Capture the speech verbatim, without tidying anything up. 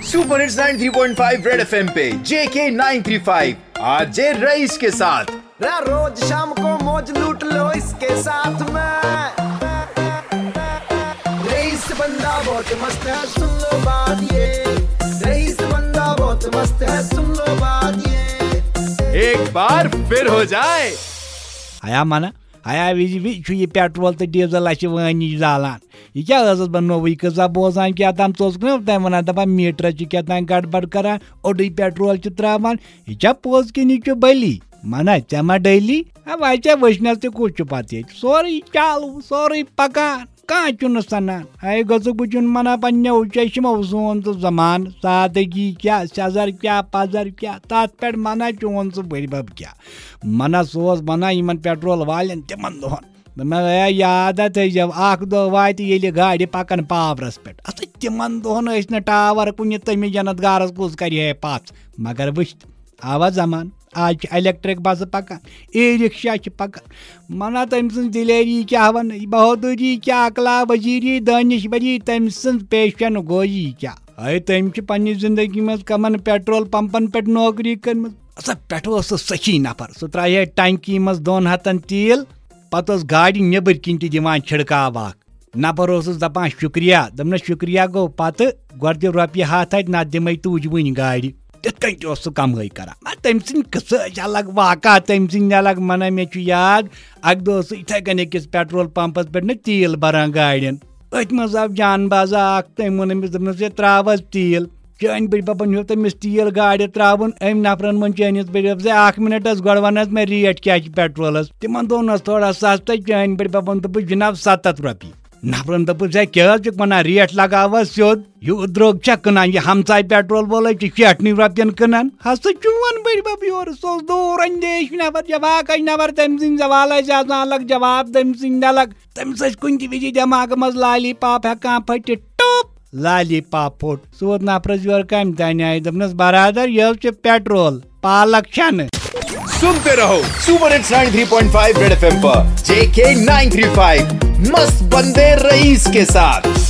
Super hits ninety three point five red FM पे JK nine three five RJ Rais के साथ। रा रोज शाम को मौज लूट लो इसके साथ में। रईस बंदा बहुत मस्त है, सुन लो बात ये। रईस बंदा बहुत मस्त है, सुन लो बात ये। एक बार फिर हो जाए। ہیا منہ، ہیا وِزِ وِزِ چھُ یہِ پیٹرول تہٕ ڈیزل اَسہِ وٲنۍ نِش زالان۔ یہِ کیٛاہ ٲسٕس بہٕ نوٚوُے قٕصہ بوزان کیٛاہ تام؟ ژٕ اوسُکھ نہ تَمہِ وَنان، دَپان میٖٹرَس چھِ کیٛاہ تام گڑبڑ کران، اوٚڑُے پیٹرول چھِ ترٛاوان۔ یہِ چھا پوٚز کِنہٕ یہِ چھُ بٔلی؟ منہ، ژےٚ ما ڈٔلی؟ ہا، وۄنۍ ژےٚ وٕچھنَس تہِ کُس چھُ پَتہٕ ییٚتہِ؟ سورُے چالوٗ، سورُے پَکان۔ کانٛہہ چھُنہٕ سَنان۔ ہے گوٚژھُکھ بہٕ چھُن مَنان پنٛنیو چشمو سون ژٕ زَمانہٕ۔ سادٕگی کیٛاہ، سٮ۪زر کیٛاہ، پَزر کیٛاہ، تَتھ پٮ۪ٹھ مَنان چون ژٕ بٔرۍ بَب کیٛاہ۔ مَنان سُہ اوس وَنان یِمَن پیٹرول والٮ۪ن تِمَن دۄہَن۔ دوٚپمَس، ہے یاد ہا تھٲیزیو، اَکھ دۄہ واتہِ ییٚلہِ گاڑِ پَکَن پاورَس پٮ۪ٹھ۔ اَسا تِمَن دۄہَن ٲسۍ نہٕ ٹاوَر کُنہِ، تٔمِس جنت گارَس کُس کَرِ ہے پَژھ؟ مگر وٕچھ، آوا زَمانہٕ۔ آز چھِ الیکٹرک بسہٕ پکان، ای رکشہ چھِ پکان۔ منا تٔمۍ سٕنٛز دلیری کیٛاہ ونہٕ، بہادری کیٛاہ، اخلاق وزیری، دانشوری، تٔمۍ سٕنٛز پیشن گویی کیٛاہ۔ ہے، تٔمۍ چھِ پننہِ زندگی منٛز کمن پیٹرول پمپن پٮ۪ٹھ نوکری کٔرمٕژ۔ ہسا پٮ۪ٹھٕ اوس سُہ سخی نفر، سُہ ترٛایہِ ہے ٹنکی منٛز دۄن ہتن تیٖل، پتہٕ اوس گاڑِ نیٚبٕرۍ کِنۍ تہِ دِوان چھڑکاو اکھ۔ نفر اوسُس دپان شُکریہ، دوٚپنس شُکریہ گوٚو پتہٕ، گۄڈٕ دِ رۄپیہِ ہتھ اتہِ، نتہٕ دِمے تُج وٕنۍ گاڑِ۔ تِتھ کٔنۍ تہِ اوس سُہ کمٲے کران۔ مگر تٔمۍ سٕنٛدۍ قٕصہٕ ٲسۍ الگ، واقعہ تٔمۍ سٕنٛدۍ الگ۔ ونان مےٚ چھُ یاد، اکہِ دۄہ اوس سُہ یِتھے کٔنۍ أکِس پیٹرول پمپس پٮ۪ٹھ نہٕ تیٖل بران گاڑٮ۪ن۔ أتھۍ منٛز آو جان بازا اکھ، تٔمۍ ووٚن أمِس، دوٚپنس، "ہے، ترٛاو حظ تیٖل۔" چٲنۍ بٔڈۍ ببن ہیوٚت أمِس تیٖل گاڑِ ترٛاوُن۔ أمۍ نفرن ووٚن چٲنِس بٔڈۍ ببس، "ہے، اکھ منٹ حظ، گۄڈٕ ون حظ مےٚ ریٹ کیٛاہ چھِ پیٹرولس؟" تِمن دۄہن ٲس تھوڑا سستَے۔ چٲنۍ بٔڈۍ ببن دوٚپُس، "جناب، ستتھ رۄپیہِ۔" نفرن دوٚپُس، "ہے، کیٛاہ حظ چھُکھ ونان؟ ریٹ لگاو حظ سیوٚد۔ یوٗت درٛوگ چھا کٕنان؟ یہِ ہمساے پیٹرول وول حظ چھُ شیٹھنٕے رۄپین کٕنان۔" ہسا چون بٔڈۍ بب یورٕ، سُہ اوس دوٗر اندیش نفر، جفاکش نفر، تٔمۍ سٕنٛدۍ سوال ٲسۍ آسان الگ، جواب تٔمۍ سٕنٛدۍ الگ۔ تٔمِس ٲسۍ کُنہِ تہِ وِزِ دٮ۪ماغہٕ منٛز لالی پاپ ہٮ۪کان پھٔٹِتھ، ٹوٚپ! لالی پاپ پھوٚٹ۔ سُہ ووت نفرس یورٕ کمہِ دانہِ آیہِ، دوٚپنس، "برادر، یہِ حظ چھُ پیٹرول، پالک چھنہٕ۔" सुनते रहो super hits ninety three point five red FM पर जेके नाइन थ्री फ़ाइव मस्त बंदे रईस के साथ।